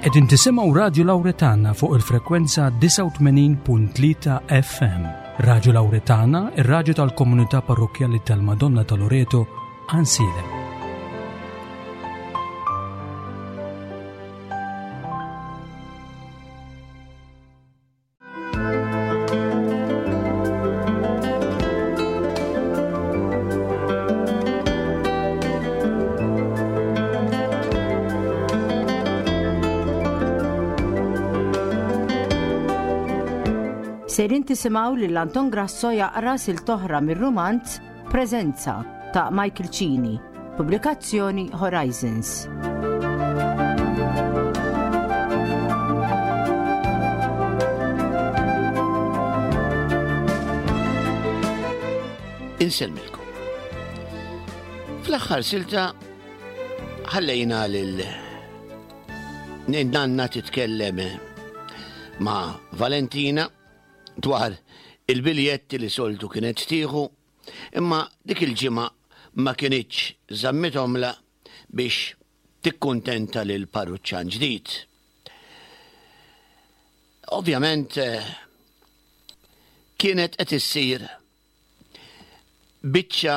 Qegħdin tisimgħu Radju Lawretana fuq il-frekwenza 89.3 FM. Radju Lawretana, ir-radju tal-komunità parrokkjali tal-Madonna ta' Loreto, Ansilem. Sejrin tisimgħu lil Anton Grasso jaqra sil toħra mir-rumanz Preżenza ta' Michael Cini, pubblikazzjoni Horizons. Insellmilkom. Fl-aħħar silta ħallejna lil nanna titkellem ma' Valentina dwar il-biljetti li soltu kienet tieħu imma dik il-ġimgħa ma kinitx żammithomlha biex tikkuntenta lil parruċċan ġdid. Ovvjament eh, kienet qed issir biċċa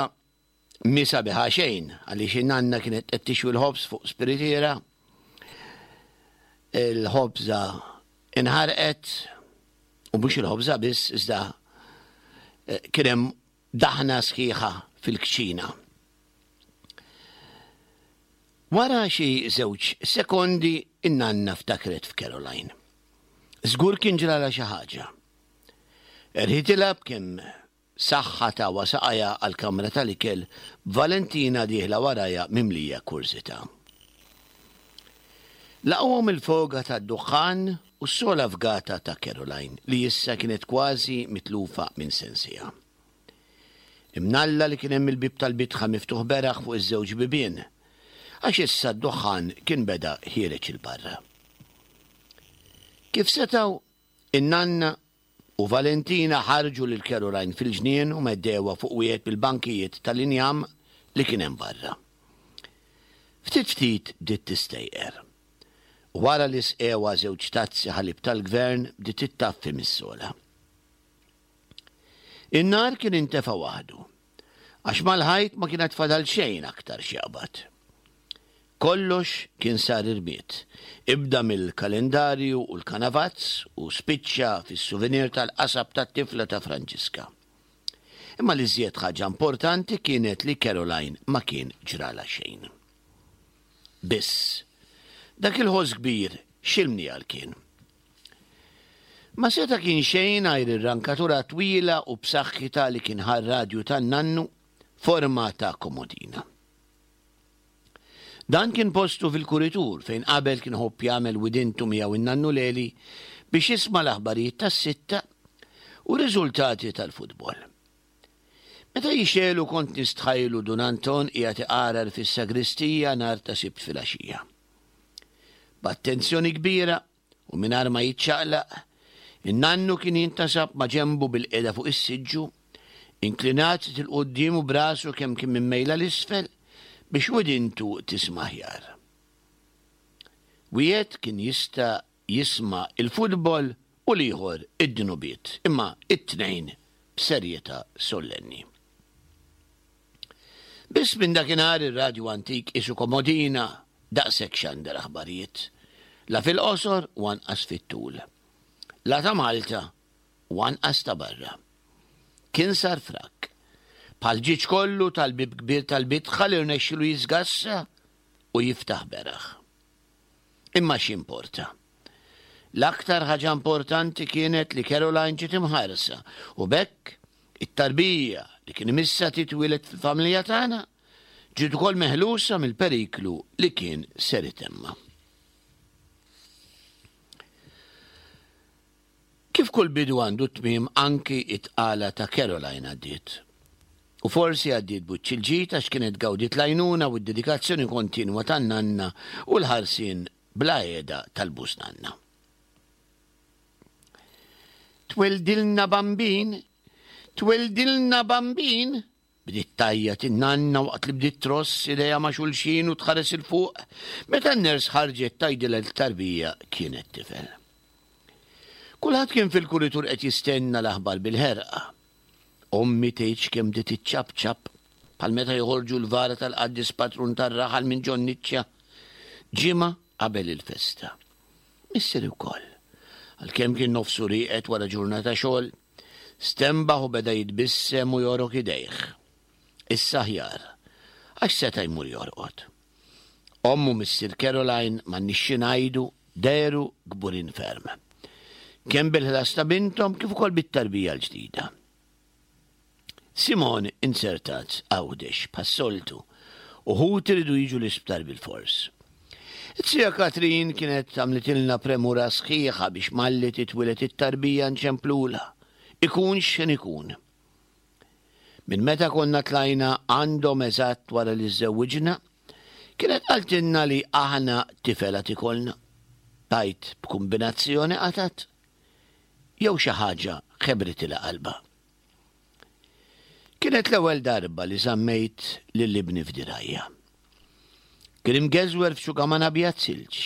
mi sabiħa xejn għaliex in-nanna kienet qed tixwi l-ħobż fuq spiritiera. Il-ħobża inħarqet u mhux il-ħobża biss iżda eh, kien hemm daħna sħiħa fil-kċina. Wara xi żewġ sekondi in-nanna ftakret f'Caroline. Żgur kien ġralha xi ħaġa. Erħitilha b'kemm saħħa tawha saqajha għall-kamra tal-ikel b'Valentina dieħla warajha mimlija kurżità. Laqgħuhom il-foga tad-duħħan u s-sogħla fgata ta' Caroline li issa kienet kważi mitlufa minn sensiha. Imnalla li kien hemm il-bieb tal-bitħa miftuħ beraħ fuq iż-żewġ bibien, għax issa d-duħħan kien beda ħiereġ 'il barra. Kif setgħu, in-nanna u Valentina ħarġu lil Caroline fil-ġnien u meddewha fuq wieħed mill-bankijiet tal-injam li kien hemm barra. Ftit ftit bdiet tistejqer. U wara li sqewha żewġ tazzi ħalib tal-gvern bdiet ittaffi mis-sogħla. In-nar kien intefa' waħdu, għax mal-ħajt ma kien għad fadal xejn aktar x'jaqbad. Kollox kien sar irmied, ibda mill-kalendarju u l-kanavazz u spiċċa fis-souvenir tal-qasab tat-tifla ta' Franġiska. Imma l-iżjed ħaġa importanti kienet li Caroline ma kien ġralha xejn. Biss, dak il-ħoss kbir x'imniegħel kien? Ma seta' kien xejn għajr ir-rankatura twila u b'saħħitha li kien ħa r-radju tan-nannu forma ta' komodina. Dan kien postu fil-kuritur fejn qabel kien iħobb jagħmel widintu miegħu n-nannu Leli biex jisma' l-aħbarijiet tas-sitta u r-riżultati tal-futbol. Meta jixegħlu kont nistħajlu Dun Anton qiegħed iqarar fis-sagristija nhar ta' Sibt filgħaxija. B'attenzjoni kbira u mingħajr ma jiċċaqlaq, in-nannu kien jintasab ma' ġenbu bilqiegħda fuq is-siġġu, inklinat 'il quddiem u b'rasu kemm kien mimmejla 'l isfel biex widintu tisma' aħjar. Wieħed kien jista' jisma' l-futbol u l-ieħor id-dnubiet, imma t-tnejn b'serjetà sollenni. Biss minn dakinhar ir-radju antik qisu komodina daqshekk xandar aħbarijiet. La fil-qosor u anqas fit-tul. La ta' Malta u anqas ta' barra. Kien sar frak. Bħall-ġieġ kollu tal-bieb kbir tal-bitħa li rnexxielu jiżgassa u jiftaħ beraħ. Imma x'jimporta? L-aktar ħaġa importanti kienet li Caroline ġiet imħarsa u b'hekk it-tarbija li kien imissha titwieled fil-familja tagħna ġiet ukoll meħlusa mill-periklu li kien ser itemma. Kif kull bidu għandu tmiem anki it-tqala ta' Caroline għaddiet. U forsi għaddiet b'wiċċ il-ġid għax kienet gawdiet l-għajnuna u d-dedikazzjoni kontinwa tan-nanna u l-ħarsien bla heda tal-bużnanna. Tweldilna bambin! Tweldilna bambin! Bdiet tgħajjat in-nanna waqt li bdiet tross idejha ma' xulxin u tħares 'il fuq meta n-ners ħarġet tgħidilha li t-tarbija kienet tifel. Kulħadd kien fil-kuritur qed jistenna l-aħbar bil-ħerqa. Ommi tgħidx kemm bdiet iċċapċap bħal meta joħorġu l-vara tal-qaddis patrun tar-raħal minn ġon-niċċa ġimgħa qabel il-festa. Missieri wkoll, għalkemm kien nofsu rieqed wara ġurnata xogħol, Stenbaħ u beda jitbissem u jogħrok idejh. Issa aħjar, għax seta' jmur jorqod. Omm u missier Caroline, m'għandniex xi ngħidu, dehru kburin ferm. Kemm bil-ħlas ta' binthom kif ukoll bit-tarbija l-ġdida. Simon inzertat Għawdex bħas-soltu u ħuti riedu jiġu l-isptar bilfors. It-tija Katrin kienet għamlitilna premura sħiħa biex malli titwieled it-tarbija nċemplulha, ikun x'ħin ikun. Minn meta konna tlajna għandhom eżatt wara li żżewwiġna, kienet qaltilna li aħna tifel għad ikollna. Tgħid b'kumbinazzjoni qatgħet? Jew xi ħaġa ħebritilha qalbha? Kienet l-ewwel darba li żammejt lil ibni f'dirgħajja. Kien imgeżwer f'xugaman abjad silġ.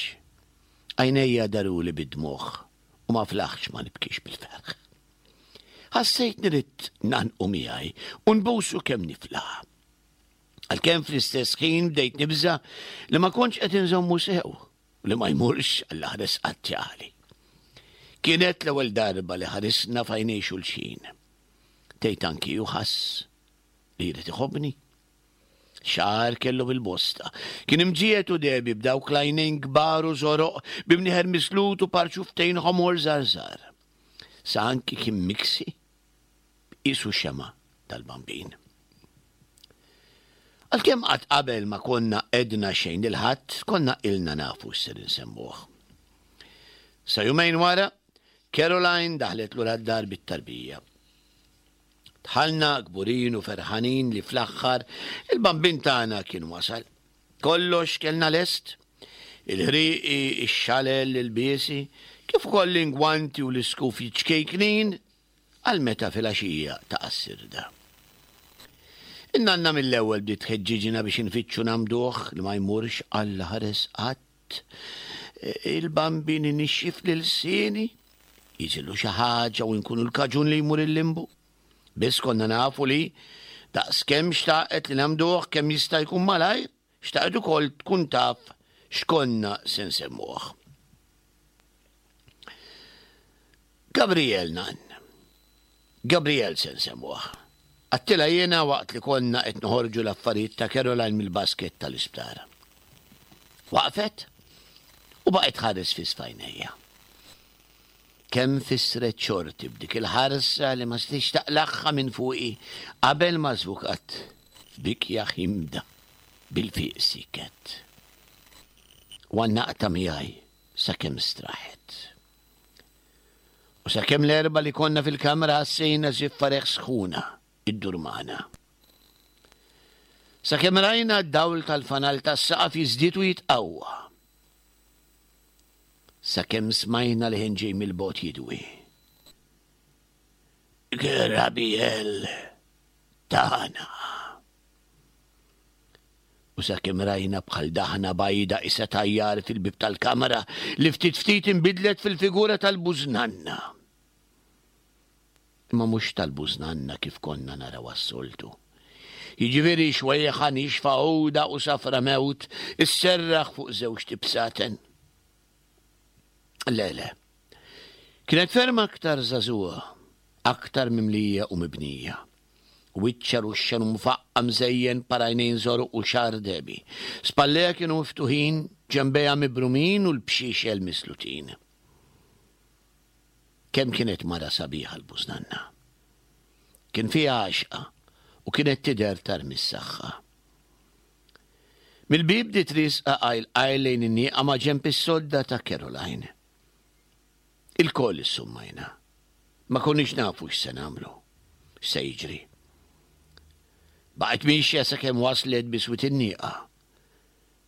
Għajnejja daruli bid-dmugħ u ma flaħtx ma nibkix bil-ferħ. Ħassejtni ridt ngħannqu miegħi u nbusu kemm niflaħ. Għalkemm fl-istess ħin bdejt nibża' li ma kontx qed inżommu sew. U li ma jmurx għall-aħres qatt jagħli. Kienet l-ewwel darba li ħarisna f'għajnejn xulxin. Tgħid anki hu ħass li jrid iħobbni? Xagħar kellu bil-bosta. Kien imġiegħed u dehbi b'dawk l-għajnejn kbar u żoroq bi mnieħer mislut u par xufftejn ħomor żgħar żgħar. Sa anki kien miksi qisu xemgħa tal-Bambin. Għalkemm qatt qabel ma konna għedna xejn lil ħadd, konna ilna nafu x'ser insemmuh. Sa jumejn wara, Caroline daħlet lura d-dar bit-tarbija. Dħalna kburin u ferħanin li fl-aħħar il-bambin tagħna kien wasal. Kollox kellna lest, il-ħrieqi, ix-xalel, l-ilbiesi, kif ukoll l-ingwanti u l-iskufi ċkejknin għal meta filgħaxija taqa' s-sirda. In-nanna mill-ewwel bdiet tħeġġiġna biex infittxu ngħammduh li ma jmurx Alla ħares qatt. Il-Bambin inixxif lil lsieni, jiġrilu xi ħaġa u nkunu l-kaġun li jmur il-limbu. Biss konna nafu li, daqskemm xtaqet li ngħammduh kemm jista' jkun malajr, xtaqet ukoll tkun taf x'konna se nsemmuh. Gabriel nan. Gabriel se nsemmuh. Għattilha jiena waqt li konna qed noħorġu l-affarijiet ta' Caroline mill-basket tal-isptar. Waqfet u baqgħet tħares fi sfajnejja. Kemm fissret xorti b'dik il-ħarsa li ma setgħetx taqlagħha minn fuqi qabel ma żvukat f'bikja ħimda bil-fiq siket. U għannaqtha miegħi sakemm straħet. U sakemm l-erba' li konna fil-kamra ħassejna żiffa reħ sħuna iddur magħna. Sakemm rajna d-dawl tal-fanal tas-saqaf jiżdied u jitqawwa. Sakemm smajna leħen ġej mill-bogħod jidwi. Grabiel tagħna. U sakemm rajna bħal daħna bajda qisha tajjar fil-bieb tal-kamra li ftit ftit inbidlet fil-figura tal-bużnanna. Imma mhux tal-bużnanna kif konna narawha s-soltu. Jiġifieri xwejħa nixfa għuda u safra mewt isserraħ fuq żewġt ibsaten. Le, le. Kienet ferm aktar żagħżugħa, aktar mimlija u mibnija. Wiċċha ruxxan u mfaqqa' mżejjen par għajnejn żoroq u xagħar dehbi. Spallejha kienu miftuħin, ġenbejha mibrumin u l-bxiexel mislutin. Kemm kienet mara sabiħa l-bużnanna. Kien fiha għaxqa u kienet tidher tarmi s-saħħa. Mill-bieb bdiet riesqa qajl qajl lejn in-nieqa maġenb is-sodda ta' Caroline. Ilkoll issummajna. Ma konniex nafu x'se nagħmlu, x'se jiġri. Baqgħet miexja sakemm waslet biswit in-nieqa.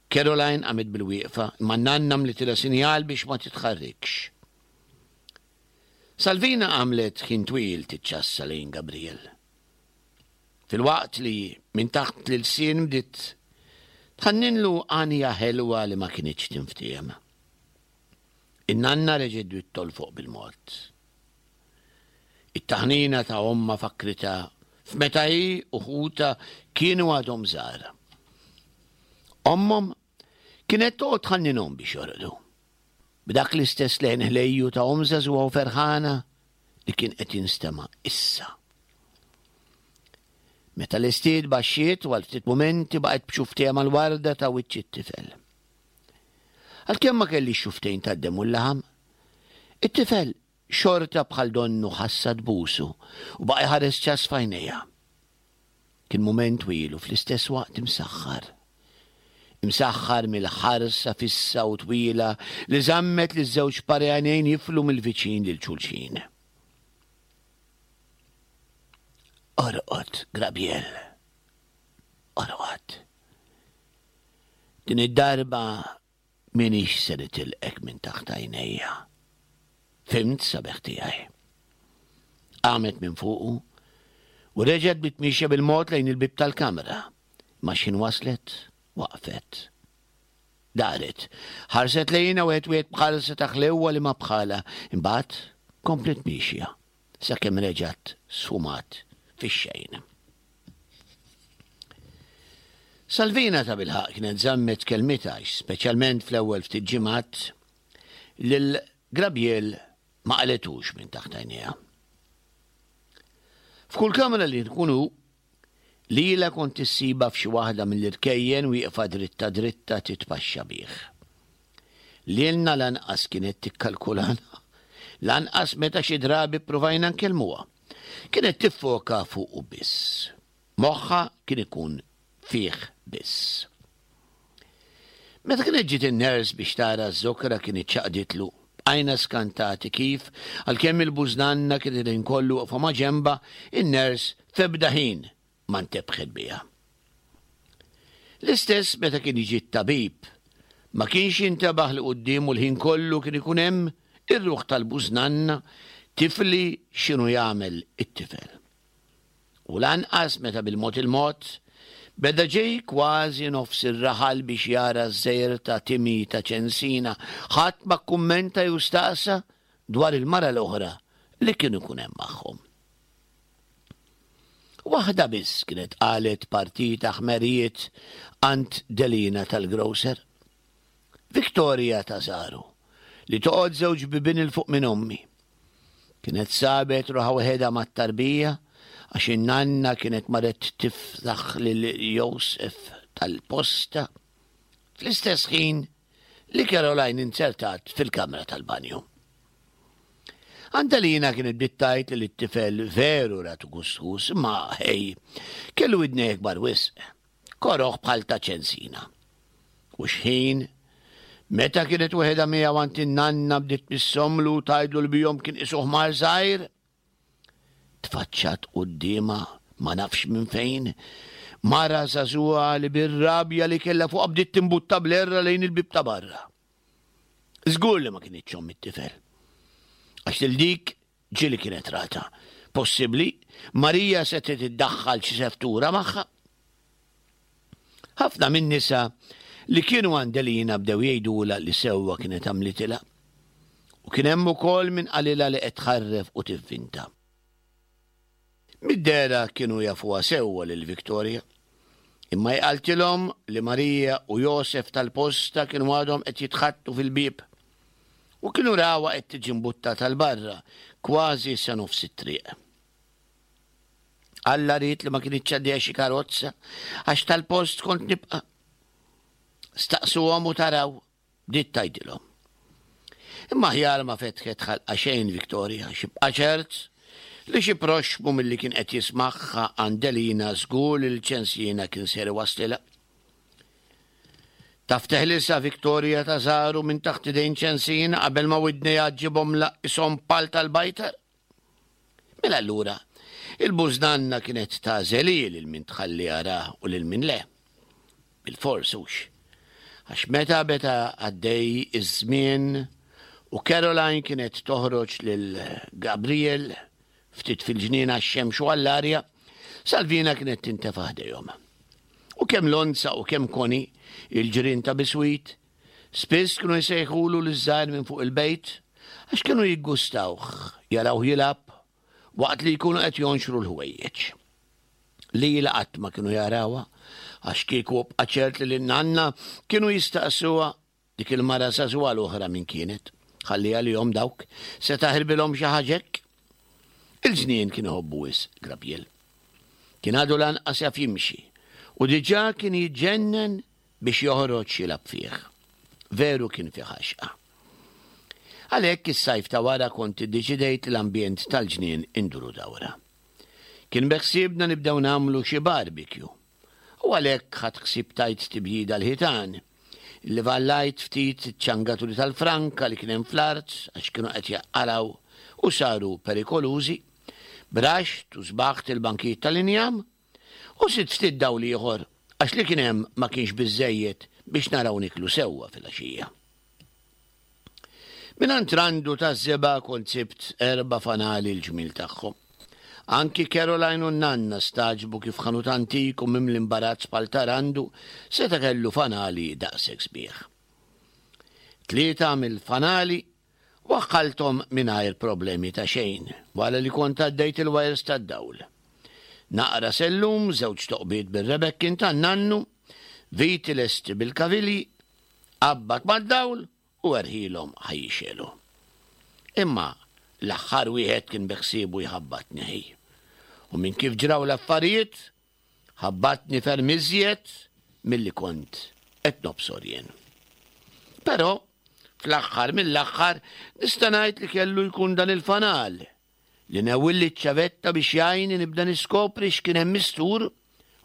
Caroline qamet bilwieqfa, imma n-nanna għamlitilha sinjal biex ma titħarrikx. Salvina għamlet ħin twil tiċċassa lejn Gabriel. Filwaqt li minn taħt l-ilsien bdiet tħanninlu għanja ħelwa li ma kinitx tinftiehem. In-nanna reġgħet bdiet tolfoq bil-mod. It-taħnina ta' ommha fakkritha f'meta hi u ħutha kienu għadhom żgħar. Ommhom kienet toqgħod tħanninhom biex jorqdu. B'dak l-istess leħen ħlejju ta' omm żagħżugħa u ferħana li kien qed jinstema' issa. Meta lestiet baxxiet u għal ftit mumenti baqgħet b'xuftejha mal-warda ta' wiċċ it-tifel. Għalkemm ma kellix xuftejn tad-demm u l-laħam, it-tifel xorta bħal donnu ħassha tbusu u baqa' jħares ċass f'għajnejha. Kien mument twil u fl-istess waqt imsaħħar. Imsaħħar mill-ħarsa fissa u twila li żammet liż-żewġ pari għajnejn jiflu mill-viċin lil xulxin. Orqod, Grabiel. Orqod. Din id-darba M'iniex se nitilqek minn taħt għajnejja. Fhimt, sabiħ tiegħi? Qamet minn fuqu u reġgħet bdiet miexja bil-mod lejn il-bieb tal-kamra, imma x'ħin waslet, waqfet. Daret, ħarset lejna wieħed wieħed b'ħarsa ta' ħlewwa li ma bħalha, imbagħad kompliet miexja. sakemm reġgħet sfumat fix-xejn. Salvina tabilħaqq kienet żammet kelmitha għax, speċjalment fl-ewwel ftit ġimgħat, lil Grabiel ma qalethux minn taħt għajnejha. F'kull kamra li nkun hu, Lilha kont issibha f'xi waħda mill-irkejjen wieqfa dritta dritta titpaxxa bih. Lilna lanqas kienet tikkalkulana, lanqas meta xi drabi ppruvajna nkellmuha. Kienet tiffoka fuqu biss. Moħħha kien ikun fih biss. Meta kienet ġiet in-nurse biex tara ż-żokra kien iċċaqditlu. Bqajna skantati kif, għalkemm il-bużnanna kienet il-ħin kollu waqfa maġenbha, in-nurse f'ebda ħin ma ntebħet biha. L-istess meta kien jiġi t-tabib, ma kienx jintebaħ li quddiemu l-ħin kollu kien ikun hemm ir-ruħ tal-bużnanna tifli x'inhu jagħmel it-tifel. U lanqas meta bil-mod il-mod beda ġej kważi nofs ir-raħal biex jara ż-żgħir ta' Timmy ta' Ċensina, ħadd ma kkummenta jew staqsa dwar il-mara l-oħra li kien ikun hemm magħhom. Waħda biss kienet qalet partita ħmerijiet għand Delina tal-grocer. Victoria ta' Saru, li toqgħod żewġ bibien 'il fuq minn ommi. Kienet sabet ruħha waħedha mat-tarbija għax in-nanna kienet marret tiftaħ lil Joseph tal-posta fl-istess ħin li Caroline inzertat fil-kamra tal-banju. Antalina kienet bdiet tgħid li t-tifel veru ratu gustus, imma ħej, kellu widnejh kbar wisq. Koroh bħal ta' ċensina. U x'ħin, meta kienet weħedha miegħu għand in-nanna bdiet tmissomlu u tgħidlu li bihom kien qisu ħmar żgħir, tfaċċat quddiemha ma nafx minn fejn, mara żagħżugħa li bir-rabja li kellha fuqha bdiet timbutta bl-għerra lejn il-bieb ta' barra. Żgur li ma kinitx omm it-tifel. Għax lil dik Ġieli kienet ratha. Possibbli, Marija setgħet iddaħħal xi seftura magħha. Ħafna min-nisa li kienu għand Elina bdew jgħidulha li sewwa kienet għamlitilha. U kien hemm ukoll min qalilha li qed tħarref u tivvinta. Mid-dehra kienu jafuha sewwa lil Victoria. Imma hi qaltilhom li Marija u Josef tal-posta kienu għadhom qed jitħaddtu fil-bieb u kienu rawha qed tiġi mbuttata 'l barra kważi sa nofs it-triq. Alla ried li ma kinitx għaddejja xi karozza għax tal-post kont nibqa'. Staqsuhom u taraw. Bdiet tgħidilhom. Imma aħjar ma fetħet ħalqha xejn Victoria, xi bqa' ċert li xi proxxmu milli kien qed jismagħha għand Elina żgur li l-ċensina kien ser iwasslilha. Taf teħlisha Victoria ta' żaru minn taħt idejn ċensina qabel ma widnejha ġġibhom laqishom pal tal-bajtar? Mela allura, il-bużnanna kienet tagħżel hi lil min tħalli jarah u lil min le. Bilfors hux. Għax meta beda għaddej iż-żmien u Caroline kienet toħroġ lil Gabriel ftit fil-ġnien għax-xemx u għall-arja, Salvina kienet tintefa' ħdejhom. U kemm Lonza u kemm Connie, il-ġirien ta' biswit, spiss kienu jsejħulu liż-żgħir minn fuq il-bejt għax kienu jiggustawh jarawh jilgħab waqt li jkunu qed jonxru l-ħwejjeġ. Lilha qatt ma kienu jarawha għax kieku bqa' ċert li lin-nanna kienu jistaqsuha Dik il-mara żagħżugħa l-oħra min kienet? Ħalli għalihom dawk, se taħirbilhom xi ħaġa hekk? Il-ġnien kien iħobbu wisq Grabiel. Kien għadu lanqas jaf jimxi u diġà kien jiġġennen biex joħroġ jilgħab fih. Veru kien fih għaxqa. Għalhekk is-sajf ta' wara kont iddeċidejt li l-ambjent tal-ġnien induru dawra. Kien beħsiebna nibdew nagħmlu xi barbecue U għalhekk ħadt ħsieb tajt tibjida l-ħitan. Illivallajt ftit iċ-ċangaturi tal-franka li kien hemm fl-art għax kienu qed jaqalgħu u saru perikolużi, braxt u sbaħt il-bankijiet tal-injam, u sidt ftit dawl ieħor għax li kien hemm ma kienx biżżejjed biex naraw nieklu sewwa filgħaxija. Mingħand Randu taż-żebgħa kont sibt erb'a fanali l-ġmiel tagħhom. Anki Caroline u n-nanna stagħġbu kif ħanut antik u mimli imbarazz bħal ta' Randu seta' kellu fanali daqshekk sbieħ. Tlieta mill-fanali waħħalthom mingħajr problemi ta' xejn wara li kont għaddejt il-wires tad-dawl. Naqra sellum, żewġ toqbiet bir-rebekkin tan-nannu, viti lesti bil-kavilji, Qabbad mad-dawl u erħilhom ħa jixegħlu. Imma l-aħħar wieħed kien beħsiebu jħabbatni ħi. U minn kif ġraw l-affarijiet, ħabbatni ferm iżjed milli kont qed nobsor jien. Però, fl-aħħar mill-aħħar, nista' ngħid li kellu jkun dan il-fanal li newwilli ċ-ċavetta biex jgħinni nibda niskopri x'kien hemm mistur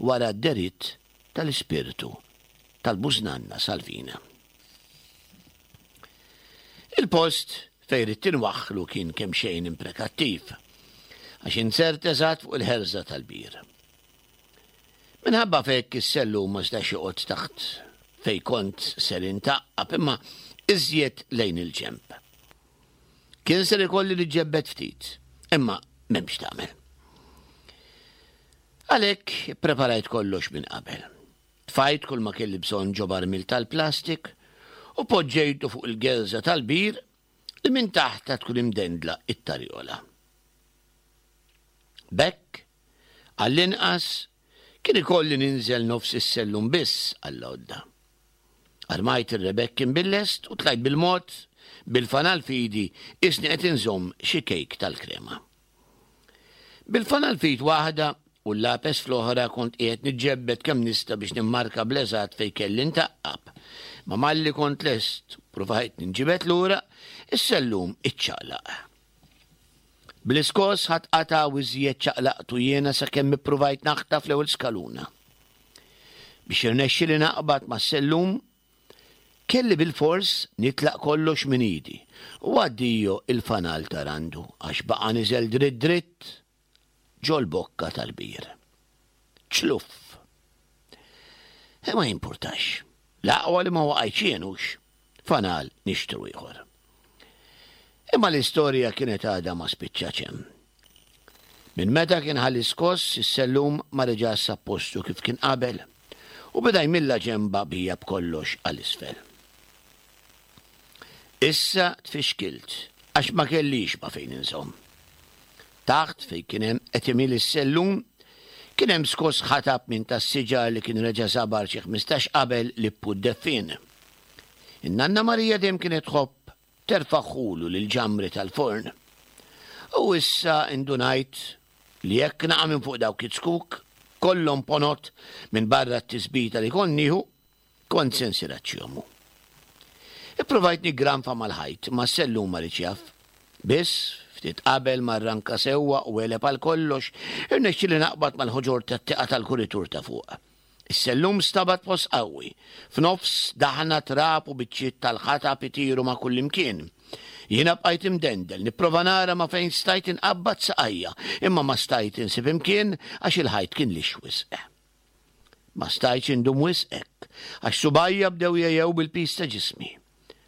wara d-deritt tal-ispirtu tal-bużnanna Salvina. Il-post fejn ridt inwaħħlu kien kemxejn imprekattiv, għax inzert eżatt fuq il-ħerża tal-bir. Minħabba f'hekk is-sellum ma setax joqgħod taħt fejn kont ser intaqqab imma iżjed lejn il-ġenb. Kien ser ikolli niġġebbed ftit, imma m'hemmx tagħmel. Għalhekk ippreparajt kollox minn qabel. Tfajt kull ma kelli bżonn ġo barmil tal-plastik u poġġejtu fuq il-gelża tal-bir li minn taħtha tkun imdendla it-tarjola. B'hekk, għall-inqas, kien ikolli ninżel nofs is-sellum biss għall-għodda. Armajt ir-rebekkin bil-lest u tlajt bil-mod, bil-fanal f'idi qisni qed inżomm xi kejk tal-krema. Bil-fanal f'id waħda u l-lapes fl-oħra kont qiegħed niġġebbed kemm nista' biex nimmarka bl-eżatt fejn kelli ntaqqab. Ma malli kont lest u pruvajt ninġibed lura, is-sellum iċċaqlaq. Bl-iskoss ħadt qatgħa u iżjed ċaqlaqtu jiena sakemm ippruvajt naħtaf l-ewwel skaluna. Biex irnexxieli naqbad mas-sellum, kelli bilfors nitlaq kollox minn idi u addio il-fanal ta' Randu għax baqa' niżel dritt dritt ġol-bokka tal-bir. Ċluff! Ma jimpurtax. L-aqwa li ma waqajtx jien hux. Fanal nixtru ieħor. Imma l-istorja kienet għadha ma spiċċatx hemm. Minn meta kien ħa l-iskoss, is-sellum ma reġax sab postu kif kien qabel u beda jmilla ġenba bija b'kollox għal isfel. Issa tfixkilt għax ma kellix ma' fejn inżomm. Taħt fejn kien hemm qed imil is-sellum kien hemm skoss ħatab minn tas-siġar li kien reġa' sabar xi 15 qabel Lippu d-deffien. In-nanna Marija dejjem kienet tħobb terfagħhulu lill-ġamri tal-forn. U issa indunajt li jekk naqa' minn fuq dawk iz-zkuk kollhom ponot minn barra t-tisbita li kont nieħu, kont se nsir aċċjomu. Ippruvajt niggranfa mal-ħajt, imma s-sellum ma riedx jaf. Biss, ftit qabel ma rranka sewwa u għeleb għal kollox, irnexxieli naqbad mal-ħoġor tat-tieqa tal-kuritur ta' fuq. Is-sellum stabat post qawwi. F'nofs daħna trab u biċċiet tal-ħatab itiru ma' kullimkien. Jiena bqajt imdendel, nipprova nara ma' fejn stajt inqabbad saqajja, imma ma stajt insib imkien għax il-ħajt kien lixx wisq. Ma stajtx indum wisq hekk, għax subgħajja bdew jegħjew bil-piż ta' ġismi.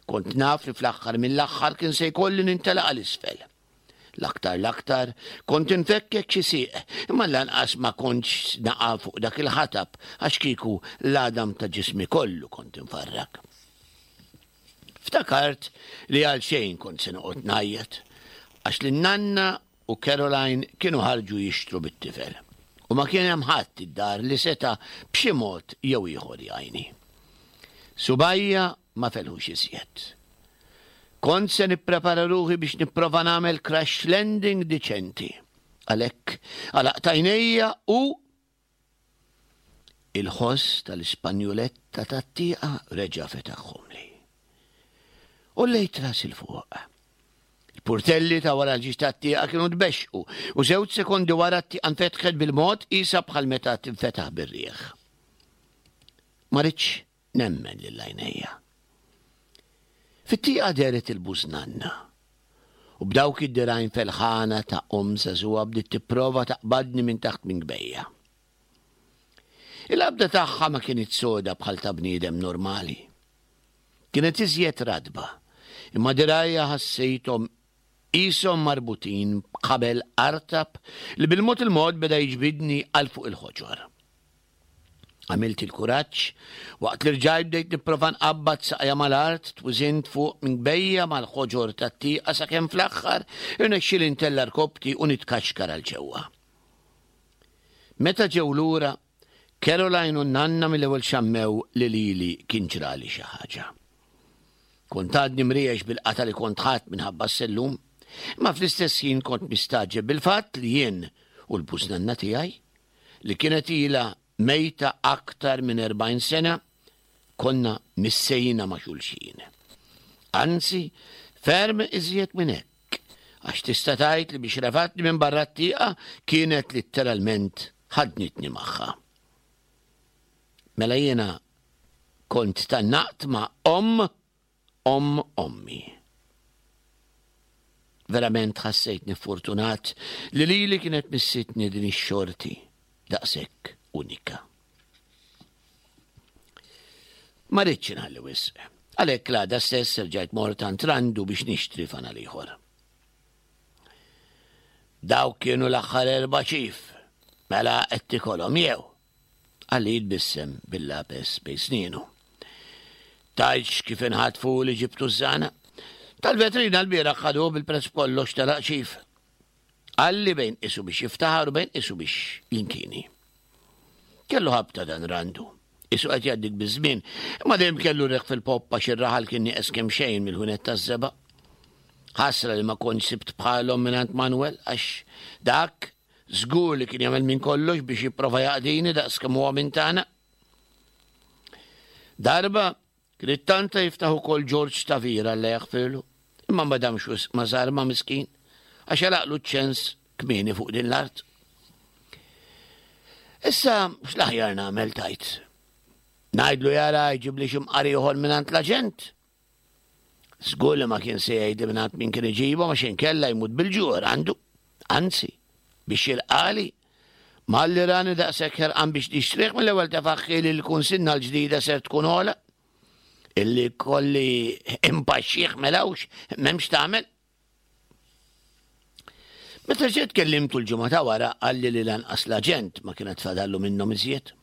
Kont naf li fl-aħħar mill-aħħar kien se jkolli nintelaq għal isfel. L-aktar l-aktar, kont infekkek xi sieq, imma lanqas ma kontx naqa' fuq dak il-ħatab għax kieku l-għadam ta' ġismi kollu kont infarrak. Ftakart li għal xejn kont se noqgħod ngħajjat, għax lin-nanna u Caroline kienu ħarġu jixtru bit-tifel, u ma kien hemm ħadd id-dar li seta' b'xi mod jew ieħor jgħinni. Subgħajja ma felħux iżjed. Kont se nipprepara ruħi biex nipprova nagħmel crash landing diċenti. Għalhekk għalaqt għajnejja u Il-ħoss tal-Ispanjuletta tat-tieqa reġa' fetaħhomli. Għollejt rasi 'l fuq. Il-purtelli ta' wara l-ġiex tat-tieqa kienu tbexxqu u żewġ sekondi wara t-tieqa nfetħet bil-mod qisha bħal meta tinfetaħ bir-riħ. Ma ridtx nemmen lil għajnejja. Fit-tieqa dehret il-bużnanna u b'dawk id-dirgħajn felħana ta' omm żagħżugħa bdiet tipprova taqbadni minn taħt minkbejja. Il-qabda tagħha ma kinitx soda bħal ta' bniedem normali. Kienet iżjed ratba, imma dirgħajja ħassejthom qishom marbutin b'ħabel artab li bil-mod il-mod beda jiġbidni għal fuq il-ħoġor. Għamilt il-kuraġġ, waqt li rġajt bdejt nipprova nqabbad saqajja mal-art, twiżint fuq minkbejja mal-ħoġor tat-tieqa sakemm fl-aħħar irnexxieli ntella' rkoppti u nitkaxkar għal ġewwa. Meta ġew lura, Caroline u n-nanna mill-ewwel xammew li lili kien ġrali xi ħaġa. Kont għadni mriex bil-qatgħa li kont ħadt minħabba s-sellum, imma fl-istess ħin kont mistagħġeb bil-fatt li jien u l-bużnanna tiegħi, li kienet ilha mejta aktar minn 40 sena, konna missejna ma' xulxin. Anzi, ferm iżjed minn hekk, għax tista' tgħid li biex refatni minn barra t-tieqa kienet litteralment ħadnitni magħha. Mela jiena kont tgħannaqt ma' omm omm ommi. Verament ħassejtni fortunat li lili kienet missitni din ix-xorti daqshekk unika. Ma ridtx inħalli wisq. Għalhekk l-għada stess erġajt mort għand Randu biex nixtri fanal ieħor. Dawk kienu l-aħħar erba' ċif. Mela qed tikolhom jew? Qalli jitbissem bil-lapes bejn snienu. Tgħidx kif inħatfu li ġibtu ż-żana. Tal-vetrina l-bieraħ ħaduh bil-prezz b'kollox telaq ċif. Qalli bejn qisu biex jiftaħar u bejn qisu biex jinkini. Kellu ħabta dan Randu. Isu qed jgħaddik biż-żmien, imma dejjem kellu reħ fil-poppa għax ir-raħal kien nieqes kemm xejn mill-ħwienet taż-żebgħa. Ħasra li ma kontx sibt bħalhom mingħand Manuel għax dak Żgur li kien jagħmel minn kollox biex jipprova jaqdini daqs kemm huwa minn tagħna. Darba kien ittanta jiftaħ ukoll George Tavira Alla jaħfirlu, imma ma damx wisq ma żarma miskin għax għalaqlu ċ-ċens kmieni fuq din l-art. Issa x'l-aħjar nagħmel tajt? Ngħidlu jara jġibli xi mqar ieħor mingħand l-aġent? Żgur li ma kien se jgħidli mingħand min kien iġibhom għax inkella jmut bil-ġuħ għandu. Anzi, biex jilqali, malli rani daqshekk ħerqan biex nixtrih mill-ewwel tefaħħi li l-kunsinna l-ġdida ser tkun ogħla. Illi kolli impaxxih melawx, m'hemmx tagħmel. Meta ġiet kellimtu l-ġimgħa ta' wara qalli li lanqas l-aġent ma kienet fadallu minnhom iżjed.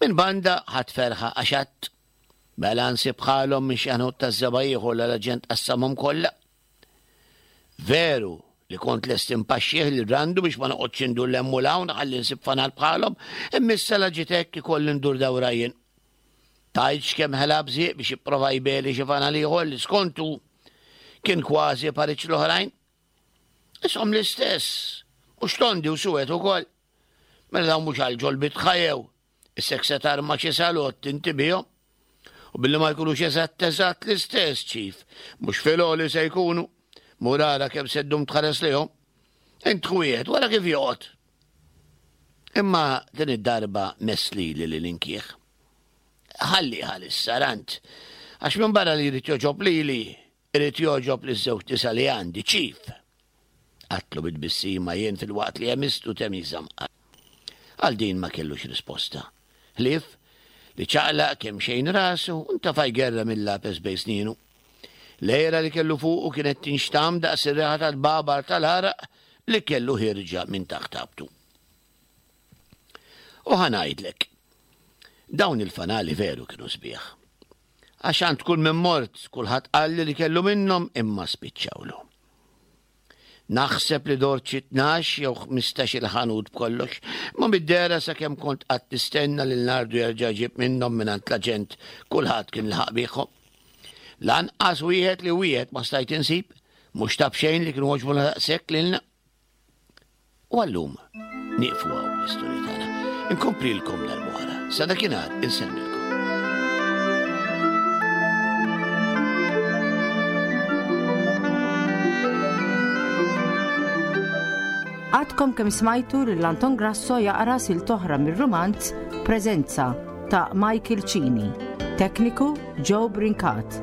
Minn banda ħadd ferħa għax għadd mela nsib bħalhom minn xi ħanut taż-żebgħa ieħor la l-aġent qassamhom kollha. Veru li kont lest impaxxih lil Randu biex ma noqgħodx indur 'l hemm u 'l hawn ħalli nsib fanal bħalhom, imma issa la ġiet hekk ikolli ndur dawra jien. Tgħidx kemm ħela bżieq biex jipprova jbeli xi fanal ieħor li skontu kien kważi pariġġ l-oħrajn. Ishom l-istess, mhux tondi u suwed ukoll. Mela dawn mhux għal ġol bitħa jew issek se tarma xi salott inti bihom. U billi ma jkunux eżatt eżatt l-istess ċif, mhux fil-għoli se jkunu. Mur ara kemm se ddum tħares lejhom. Int wieħed wara kif joqgħod. Imma din id-darba mess lili li ninkih. Ħalli għalissa rant, għax minn barra li jrid jogħġob lili, irid jogħġob liż-żewġ nisa li għandi, ċif. Għatlu bit-tbissima jien filwaqt li għemistu temiża mqar. Għal din ma kellux risposta. Ħlief li ċaqlaq kemxejn rasu u ntafa' jgerrem il-lapes bejn snienu. L-għera li kellu fuqu kienet tinxtamm daqs ir-riħa tal-babar tal-għaraq li kellu ħierġa minn taħt ħabtu. U ħa ngħidlek, dawn il-fanali veru kienu sbieħ. Għax għand kull min mort, kulħadd qalli li kellu minnhom imma spiċċawlu. Naħseb li dort xi 12 jew 15 il-ħanut b'kollox, ma mid-dehra sakemm kont qatt nistenna lil Nardu jerġa' jġib minnhom mingħand l-aġent kulħadd kien laħaq biegħhom. Lanqas wieħed li wieħed ma stajt insib, mhux ta' b'xejn li kienu għoġbuna daqshekk lilna. U għallum nieqfu hawn l-istorja tagħna. Inkomplilkom darb'oħra. Sa dakinhar insellmilkom. Għadkom kemm smajtu lil Anton Grasso jaqra sil toħra mir-rumanz Preżenza ta' Michael Cini. Tekniku Joe Brincat.